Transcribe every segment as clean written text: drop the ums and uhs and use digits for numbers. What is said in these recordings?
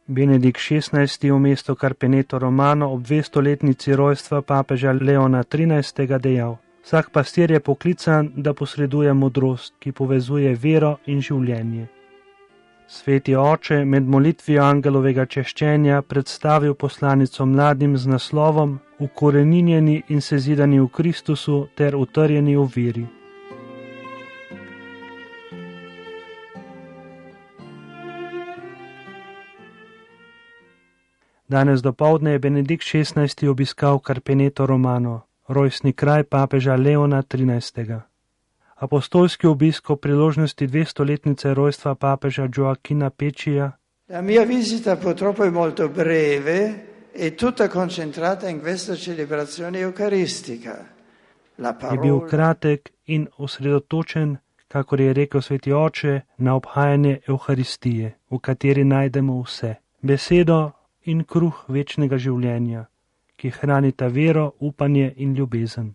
Benedikt XVI. V mestu Carpeneto Romano ob 200-letnici rojstva papeža Leona XIII. Dejal: vsak pastir je poklican, da posreduje modrost, ki povezuje vero in življenje. Sveti oče med molitvijo angelovega češčenja predstavil poslanico mladim z naslovom Ukoreninjeni in sezidani v Kristusu ter utrjeni v veri. Danes dopoldne je Benedikt XVI. Obiskal Carpeneto Romano, rojstni kraj papeža Leona XIII. Apostolski obisk ob priložnosti 200-letnice rojstva papeža Gioacchina Peccia. La mia visita purtroppo è molto breve e tutta concentrata in questa celebrazione eucaristica. Je bil kratek in osredotočen, kakor je rekel sveti oče, na obhajanje Evharistije, v kateri najdemo vse. Besedo in kruh večnega življenja, ki hranita vero, upanje in ljubezen.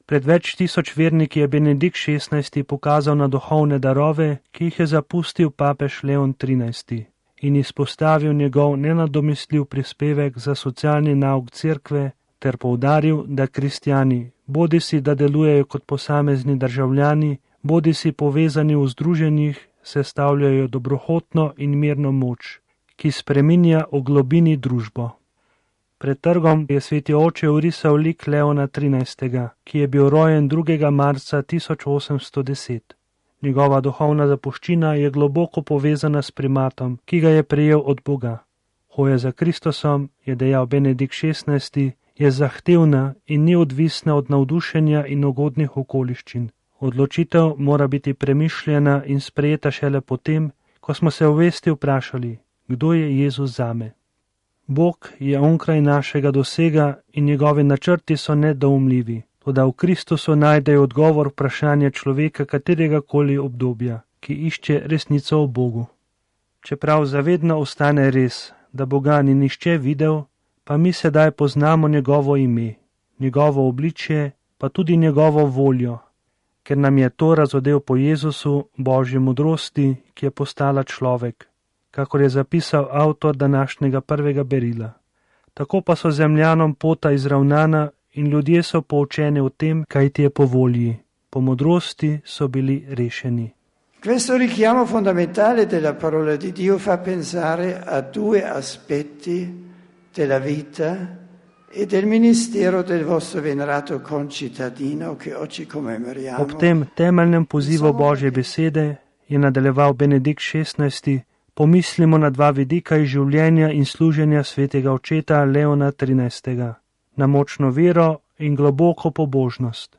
Pred več tisoč verniki je Benedikt XVI. Pokazal na duhovne darove, ki jih je zapustil papež Leon XIII. In izpostavil njegov nenadomestljiv prispevek za socialni nauk cerkve ter poudaril, da kristjani, bodisi da delujejo kot posamezni državljani, bodisi povezani v združenjih, sestavljajo dobrohotno in mirno moč, ki spreminja v globini družbo. Pred trgom je sveti oče vrisal lik Leona XIII., ki je bil rojen 2. marca 1810. Njegova duhovna zapuščina je globoko povezana s primatom, ki ga je prejel od Boga. Hoja za Kristusom, je dejal Benedikt XVI., je zahtevna in ni odvisna od navdušenja in ugodnih okoliščin. Odločitev mora biti premišljena in sprejeta šele potem, ko smo se v vesti vprašali, kdo je Jezus zame. Bog je onkraj našega dosega in njegovi načrti so nedoumljivi, toda v Kristusu najdejo odgovor vprašanja človeka katerega koli obdobja, ki išče resnico o Bogu. Čeprav zavedno ostane res, da Boga ni nihče videl, pa mi sedaj poznamo njegovo ime, njegovo obličje, pa tudi njegovo voljo, ker nam je to razodel po Jezusu, Božji modrosti, ki je postala človek, kakor je zapisal avtor današnjega prvega berila. Tako pa so zemljanom pota izravnana in ljudje so poučeni o tem, kaj ti je po volji. Po modrosti so bili rešeni. Questo richiamo fondamentale della parola di Dio fa pensare a due aspetti della vita e del ministero del vostro venerato concittadino che oggi commemoriamo. Ob tem temeljnem pozivu Božje besede je nadaljeval Benedikt XVI. Pomislimo na dva vidika iz življenja in služenja svetega očeta Leona XIII. Na močno vero in globoko pobožnost.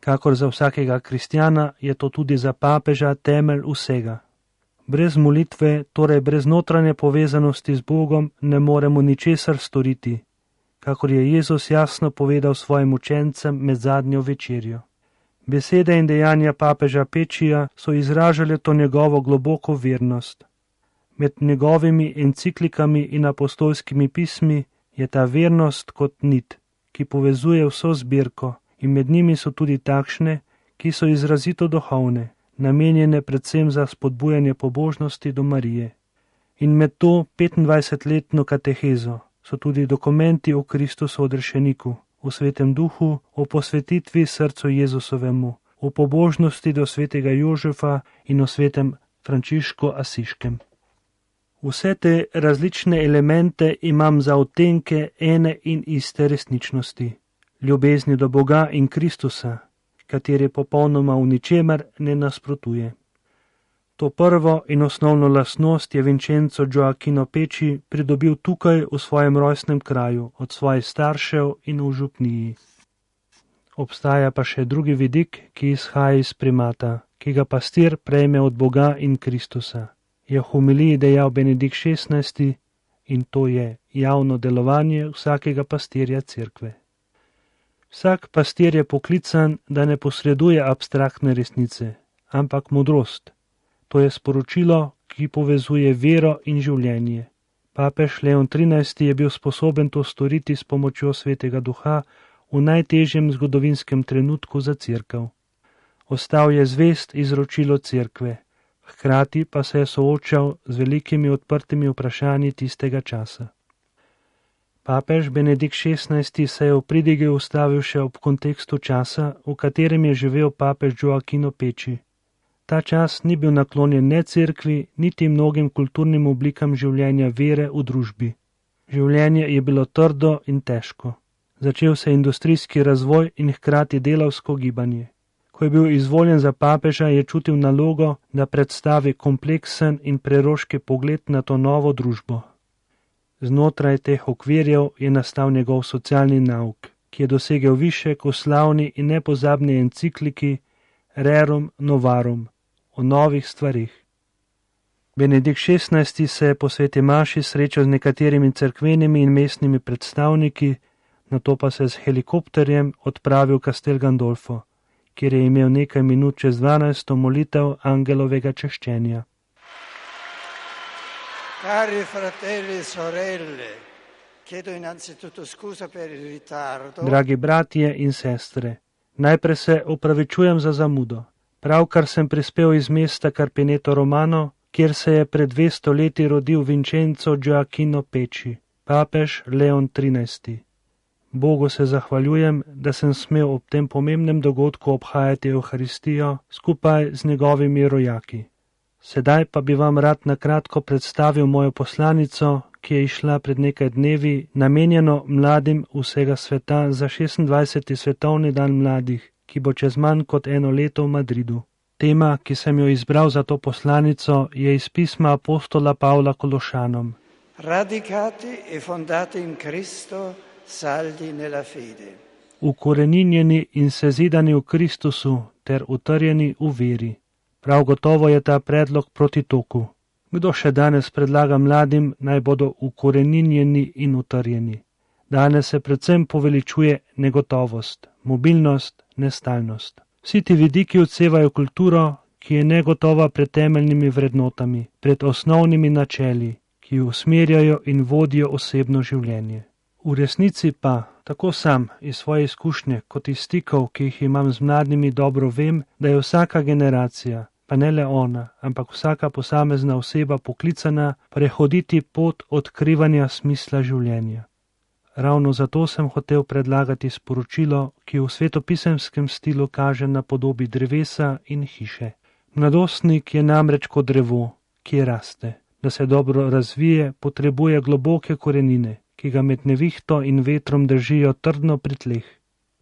Kakor za vsakega kristjana je to tudi za papeža temelj vsega. Brez molitve, torej brez notranje povezanosti z Bogom, ne moremo ničesar storiti, kakor je Jezus jasno povedal svojim učencem med zadnjo večerjo. Besede in dejanja papeža Peccija so izražale to njegovo globoko vernost. Med njegovimi enciklikami in apostolskimi pismi je ta vernost kot nit, ki povezuje vso zbirko, in med njimi so tudi takšne, ki so izrazito duhovne, namenjene predvsem za spodbujanje pobožnosti do Marije. In med to 25-letno katehezo so tudi dokumenti o Kristusu odrešeniku, o svetem duhu, o posvetitvi srcu Jezusovemu, o pobožnosti do svetega Jožefa in o svetem Frančišku Asiškem. Vse te različne elemente imam za odtenke ene in iste resničnosti, ljubezni do Boga in Kristusa, kateri popolnoma v ničemer ne nasprotuje. To prvo in osnovno lastnost je Vincenzo Gioacchino Pecci pridobil tukaj v svojem rojstnem kraju, od svojih staršev in v župniji. Obstaja pa še drugi vidik, ki izhaja iz primata, ki ga pastir prejme od Boga in Kristusa. Je v homiliji dejal Benedikt XVI. In to je javno delovanje vsakega pastirja cerkve. Vsak pastir je poklican, da ne posreduje abstraktne resnice, ampak modrost. To je sporočilo, ki povezuje vero in življenje. Papež Leon XIII. Je bil sposoben to storiti s pomočjo svetega duha v najtežjem zgodovinskem trenutku za cerkev. Ostal je zvest izročilo cerkve, hkrati pa se je soočal z velikimi odprtimi vprašanji tistega časa. Papež Benedikt XVI se je v pridigi ustavil še ob kontekstu časa, v katerem je živel papež Gioacchino Peči. Ta čas ni bil naklonjen ne cerkvi, niti mnogim kulturnim oblikam življenja vere v družbi. Življenje je bilo trdo in težko. Začel se je industrijski razvoj in hkrati delavsko gibanje. Ko je bil izvoljen za papeža, je čutil nalogo, da predstavi kompleksen in preroški pogled na to novo družbo. Znotraj teh okvirjev je nastal njegov socialni nauk, ki je dosegel višek v slavni in nepozabni encikliki Rerum Novarum o novih stvarih. Benedikt XVI se je po sveti maši srečal z nekaterimi cerkvenimi in mestnimi predstavniki, nato pa se z helikopterjem odpravil v Castel Gandolfo, kjer je imel nekaj minut čez 12 molitev angelovega češčenja. Cari fratelli e sorelle, chiedo innanzitutto scusa per il ritardo. Dragi bratje in sestre, najprej se opravičujem za zamudo. Pravkar sem prispel iz mesta Carpineto Romano, kjer se je pred 200 leti rodil Vincenzo Gioacchino Peči, papež Leon XIII. Bogu se zahvaljujem, da sem smel ob tem pomembnem dogodku obhajati Evharistijo skupaj z njegovimi rojaki. Sedaj pa bi vam rad na kratko predstavil mojo poslanico, ki je išla pred nekaj dnevi, namenjeno mladim vsega sveta za 26. svetovni dan mladih, ki bo čez manj kot 1 leto v Madridu. Tema, ki sem jo izbral za to poslanico, je iz pisma apostola Pavla Kološanom. Radicati e fondati in Cristo, saldi nella fede. Ukoreninjeni in sezidani v Kristusu ter utrjeni v veri. Prav gotovo je ta predlog proti toku. Kdo še danes predlaga mladim, naj bodo ukoreninjeni in utrjeni? Danes se predvsem poveličuje negotovost, mobilnost, nestalnost. Vsi ti vidiki odsevajo kulturo, ki je negotova pred temeljnimi vrednotami, pred osnovnimi načeli, ki usmerjajo in vodijo osebno življenje. V resnici pa, tako sam iz svoje izkušnje kot iz stikov, ki jih imam z mladimi, dobro vem, da je vsaka generacija, pa ne le ona, ampak vsaka posamezna oseba poklicana prehoditi pot odkrivanja smisla življenja. Ravno zato sem hotel predlagati sporočilo, ki v svetopisemskem stilu kaže na podobi drevesa in hiše. Mladostnik je namreč kot drevo, ki raste. Da se dobro razvije, potrebuje globoke korenine, ki ga med nevihto in vetrom držijo trdno pri tleh.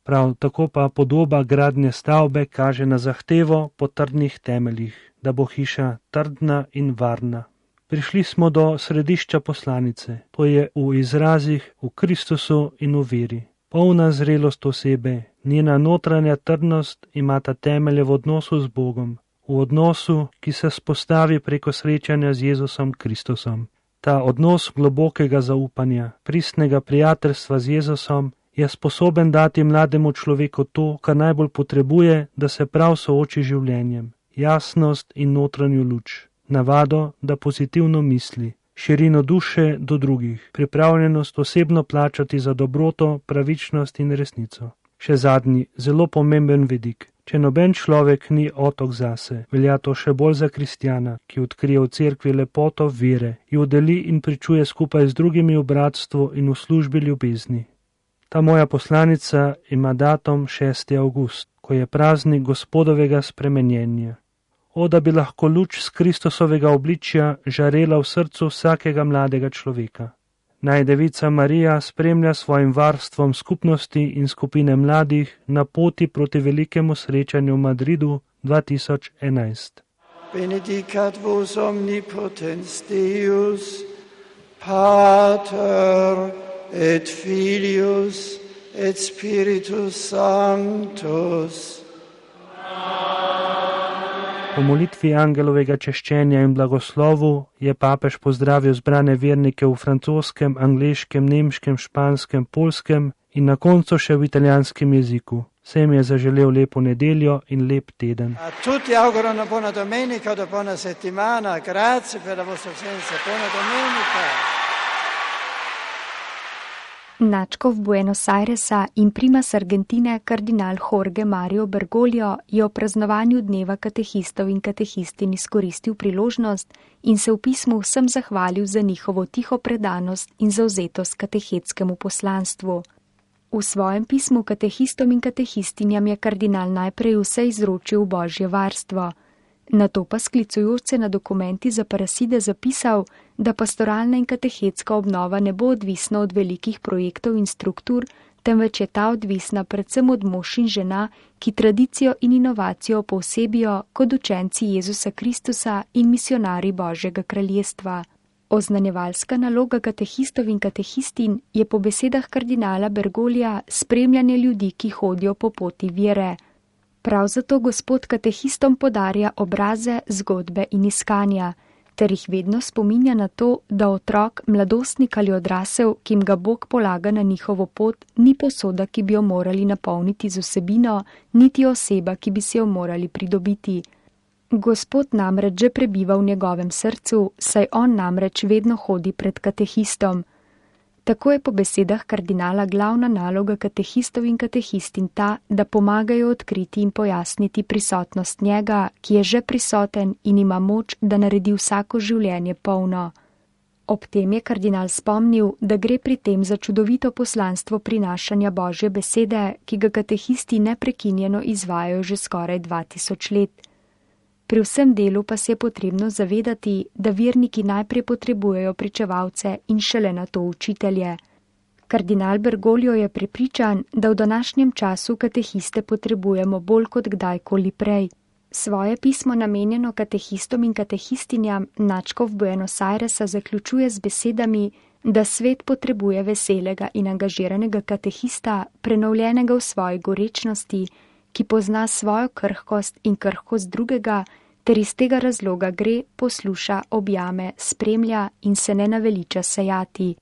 Prav tako pa podoba gradnje stavbe kaže na zahtevo po trdnih temeljih, da bo hiša trdna in varna. Prišli smo do središča poslanice, to je v izrazih v Kristusu in v veri. Polna zrelost osebe, njena notranja trdnost imata temelje v odnosu z Bogom, v odnosu, ki se spostavi preko srečanja z Jezusom Kristusom. Ta odnos globokega zaupanja, pristnega prijateljstva z Jezusom je sposoben dati mlademu človeku to, kar najbolj potrebuje, da se prav sooči življenjem, jasnost in notranjo luč. Navado, da pozitivno misli, širino duše do drugih, pripravljenost osebno plačati za dobroto, pravičnost in resnico. Še zadnji, zelo pomemben vidik. Če noben človek ni otok zase, velja to še bolj za kristjana, ki odkrije v cerkvi lepoto vere, jo deli in pričuje skupaj z drugimi v bratstvu in v službi ljubezni. Ta moja poslanica ima datum 6. avgust, ko je praznik Gospodovega spremenjenja. O, da bi lahko luč z Kristusovega obličja žarela v srcu vsakega mladega človeka. Naj Devica Marija spremlja svojim varstvom skupnosti in skupine mladih na poti proti velikemu srečanju v Madridu 2011. Benedicat vos omnipotens Deus, Pater et Filius et Spiritus Sanctus. Po molitvi angelovega češčenja in blagoslovu je papež pozdravil zbrane vernike v francoskem, angleškem, nemškem, španskem, poljskem in na koncu še v italijanskem jeziku. Vsem je zaželel lepo nedeljo in lep teden. A tutti auguro una buona domenica, una buona settimana. Grazie per la vostra presenza. Buona domenica. Nadškof Buenos Airesa in primas Argentine kardinal Jorge Mario Bergoglio je o praznovanju dneva katehistov in katehistin izkoristil priložnost in se v pismu vsem zahvalil za njihovo tiho predanost in zavzetost katehetskemu poslanstvu. V svojem pismu katehistom in katehistinjam je kardinal najprej vse izročil v Božje varstvo. Nato pa sklicujoč se na dokumenti za Paraside zapisal, da pastoralna in katehetska obnova ne bo odvisna od velikih projektov in struktur, temveč je ta odvisna predvsem od mož in žena, ki tradicijo in inovacijo povsebijo kot učenci Jezusa Kristusa in misionarji Božjega kraljestva. Oznanjevalska naloga katehistov in katehistin je po besedah kardinala Bergoglija spremljanje ljudi, ki hodijo po poti vere. Prav zato Gospod katehistom podarja obraze, zgodbe in iskanja, ter jih vedno spominja na to, da otrok, mladostnik ali odrasel, ki jim ga Bog polaga na njihovo pot, ni posoda, ki bi jo morali napolniti z vsebino, niti oseba, ki bi si jo morali pridobiti. Gospod namreč že prebiva v njegovem srcu, saj on namreč vedno hodi pred katehistom. Tako je po besedah kardinala glavna naloga katehistov in katehistin ta, da pomagajo odkriti in pojasniti prisotnost njega, ki je že prisoten in ima moč, da naredi vsako življenje polno. Ob tem je kardinal spomnil, da gre pri tem za čudovito poslanstvo prinašanja Božje besede, ki ga katehisti neprekinjeno izvajajo že skoraj 2000 let. Pri vsem delu pa se je potrebno zavedati, da verniki najprej potrebujejo pričevalce in šele nato učitelje. Kardinal Bergoglio je prepričan, da v današnjem času katehiste potrebujemo bolj kot kdajkoli prej. Svoje pismo namenjeno katehistom in katehistinjam nadškof Buenos Airesa zaključuje z besedami, da svet potrebuje veselega in angažiranega katehista, prenovljenega v svoji gorečnosti, ki pozna svojo krhkost in krhkost drugega, ter iz tega razloga gre, posluša, objame, spremlja in se ne naveliča sejati.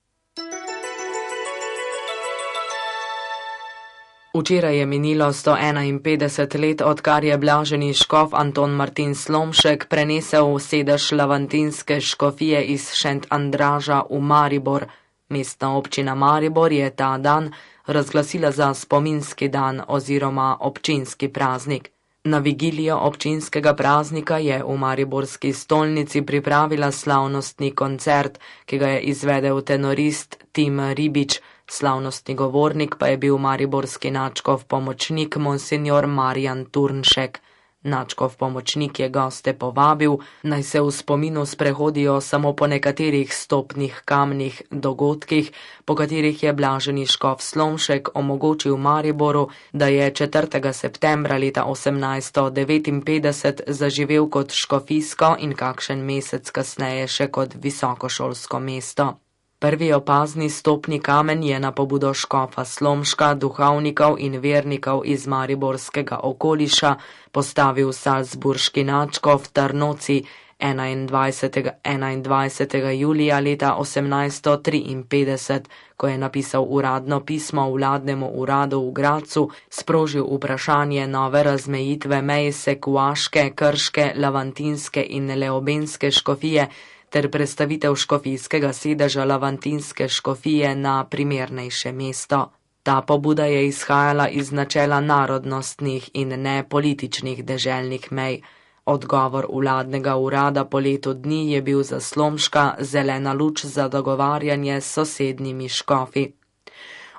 Včeraj je minilo 151 let, odkar je blaženi škof Anton Martin Slomšek prenesel sedež lavantinske škofije iz Šent Andraža v Maribor. Mestna občina Maribor je ta dan razglasila za spominski dan oziroma občinski praznik. Na vigilijo občinskega praznika je v mariborski stolnici pripravila slavnostni koncert, ki ga je izvedel tenorist Tim Ribič, slavnostni govornik pa je bil mariborski nadškof pomočnik monsignor Marjan Turnšek. Nadškof pomočnik je goste povabil, naj se v spominu sprehodijo samo po nekaterih stopnih kamnih dogodkih, po katerih je blaženi škof Slomšek omogočil Mariboru, da je 4. septembra leta 1859 zaživel kot škofijsko in kakšen mesec kasneje še kot visokošolsko mesto. Prvi opazni stopni kamen je na pobudo škofa Slomška, duhovnikov in vernikov iz mariborskega okoliša postavil salzburški nadškof Tarnoci 21. julija leta 1853, ko je napisal uradno pismo vladnemu uradu v Gracu, sprožil vprašanje nove razmejitve mej sekuaške, krške, lavantinske in leobenske škofije ter prestavitev škofijskega sedeža lavantinske škofije na primernejše mesto. Ta pobuda je izhajala iz načela narodnostnih in ne političnih deželnih mej. Odgovor vladnega urada po letu dni je bil za Slomška zelena luč za dogovarjanje s sosednjimi škofi.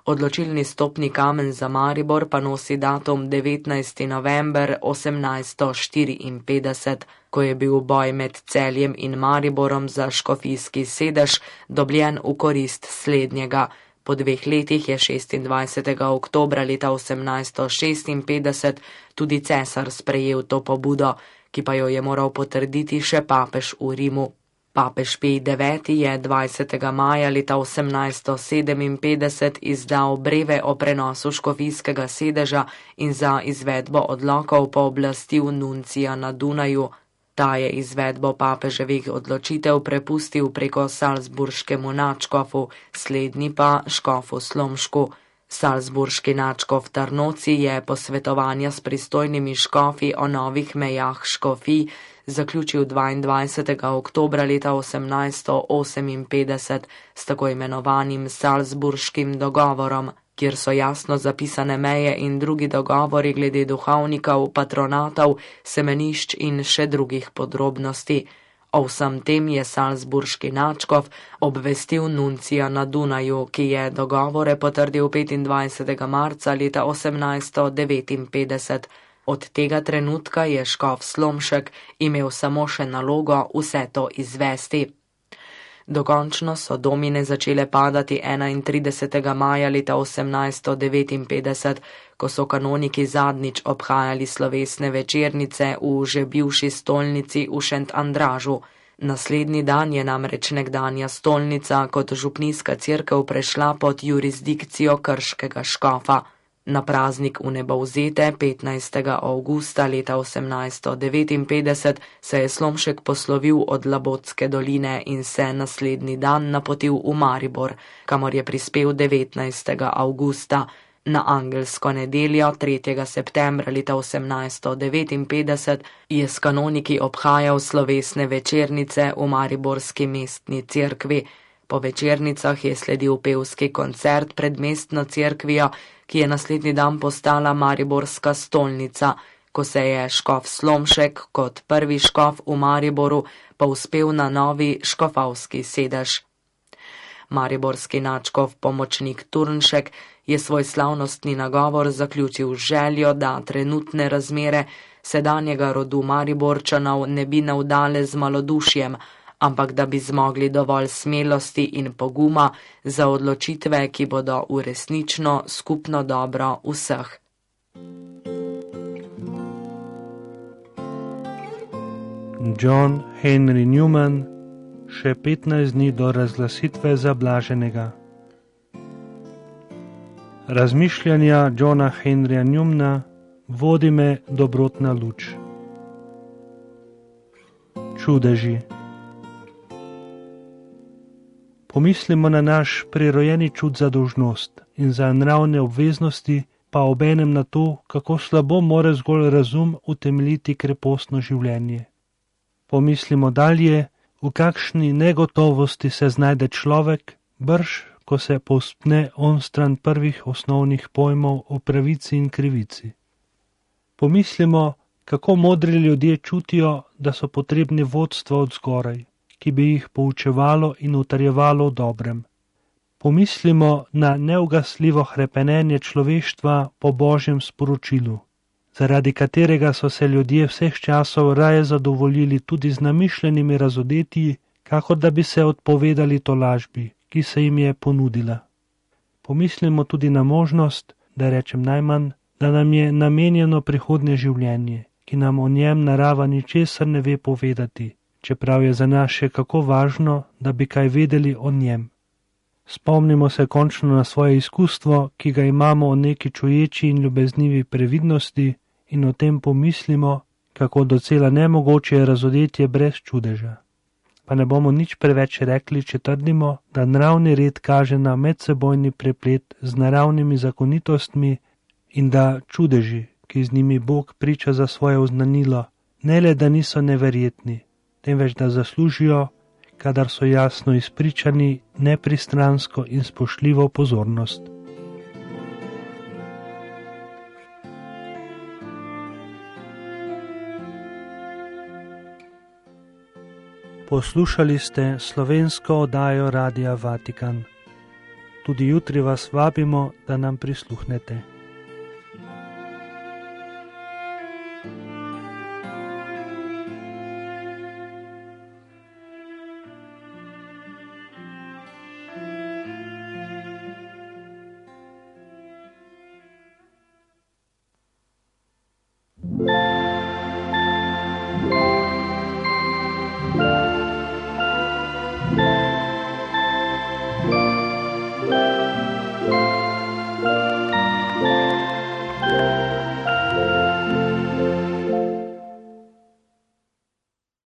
Odločilni stopni kamen za Maribor pa nosi datum 19. november 1854, ko je bil boj med Celjem in Mariborom za škofijski sedež dobljen v korist slednjega. Po 2 letih je 26. oktobra leta 1856 tudi cesar sprejel to pobudo, ki pa jo je moral potrditi še papež v Rimu. Papež Pij IX. Je 20. maja leta 1857 izdal breve o prenosu škofijskega sedeža in za izvedbo odlokov pooblastil nuncija na Dunaju. Ta je izvedbo papeževih odločitev prepustil preko salzburškemu nadškofu, slednji pa škofu Slomšku. Salzburški nadškof Tarnoci je posvetovanja s pristojnimi škofi o novih mejah škofij zaključil 22. oktobra leta 1858 s tako imenovanim Salzburškim dogovorom, kjer so jasno zapisane meje in drugi dogovori glede duhovnikov, patronatov, semenišč in še drugih podrobnosti. O vsem tem je salzburški nadškof obvestil nuncija na Dunaju, ki je dogovore potrdil 25. marca leta 1859. Od tega trenutka je škof Slomšek imel samo še nalogo vse to izvesti. Dokončno so domine začele padati 31. maja leta 1859, ko so kanoniki zadnjič obhajali slovesne večernice v že bivši stolnici v Šent Andražu. Naslednji dan je namreč nekdanja stolnica kot župnijska cerkev prešla pod jurisdikcijo krškega škofa. Na praznik vnebovzete 15. avgusta leta 1859 se je Slomšek poslovil od Labotske doline in se naslednji dan napotil v Maribor, kamor je prispel 19. avgusta. Na angelsko nedeljo 3. septembra leta 1859 je s kanoniki obhajal slovesne večernice v mariborski mestni cerkvi. Po večernicah je sledil pevski koncert pred mestno cerkvijo, ki je naslednji dan postala mariborska stolnica, ko se je škof Slomšek kot prvi škof v Mariboru povzpel na novi škofovski sedež. Mariborski nadškof pomočnik Turnšek je svoj slavnostni nagovor zaključil z željo, da trenutne razmere sedanjega rodu Mariborčanov ne bi navdale z malodušjem, ampak da bi zmogli dovolj smelosti in poguma za odločitve, ki bodo v resnično skupno dobro vseh. John Henry Newman, še 15 dni do razglasitve za blaženega. Razmišljanja Johna Henryja Newmana vodi me dobrotna luč. Čudeži. Pomislimo na naš prirojeni čut za dolžnost in za nravne obveznosti, pa obenem na to, kako slabo more zgolj razum utemeljiti krepostno življenje. Pomislimo dalje, v kakšni negotovosti se znajde človek, brž, ko se povzpne onstran prvih osnovnih pojmov o pravici in krivici. Pomislimo, kako modri ljudje čutijo, da so potrebni vodstva od zgoraj, ki bi jih poučevalo in utrjevalo v dobrem. Pomislimo na neugasljivo hrepenenje človeštva po Božjem sporočilu, zaradi katerega so se ljudje vseh časov raje zadovoljili tudi z namišljenimi razodetji, kakor da bi se odpovedali tolažbi, ki se jim je ponudila. Pomislimo tudi na možnost, da rečem najmanj, da nam je namenjeno prihodnje življenje, ki nam o njem narava ničesar ne ve povedati, čeprav je za nas še kako važno, da bi kaj vedeli o njem. Spomnimo se končno na svoje izkustvo, ki ga imamo o neki čuječi in ljubeznivi previdnosti, in o tem pomislimo, kako docela nemogoče je razodetje brez čudeža. Pa ne bomo nič preveč rekli, če trdimo, da naravni red kaže na medsebojni preplet z naravnimi zakonitostmi in da čudeži, ki z njimi Bog priča za svoje oznanilo, ne le da niso neverjetni, temveč da zaslužijo, kadar so jasno izpričani, nepristransko in spoštljivo pozornost. Poslušali ste slovensko oddajo Radia Vatikan. Tudi jutri vas vabimo, da nam prisluhnete.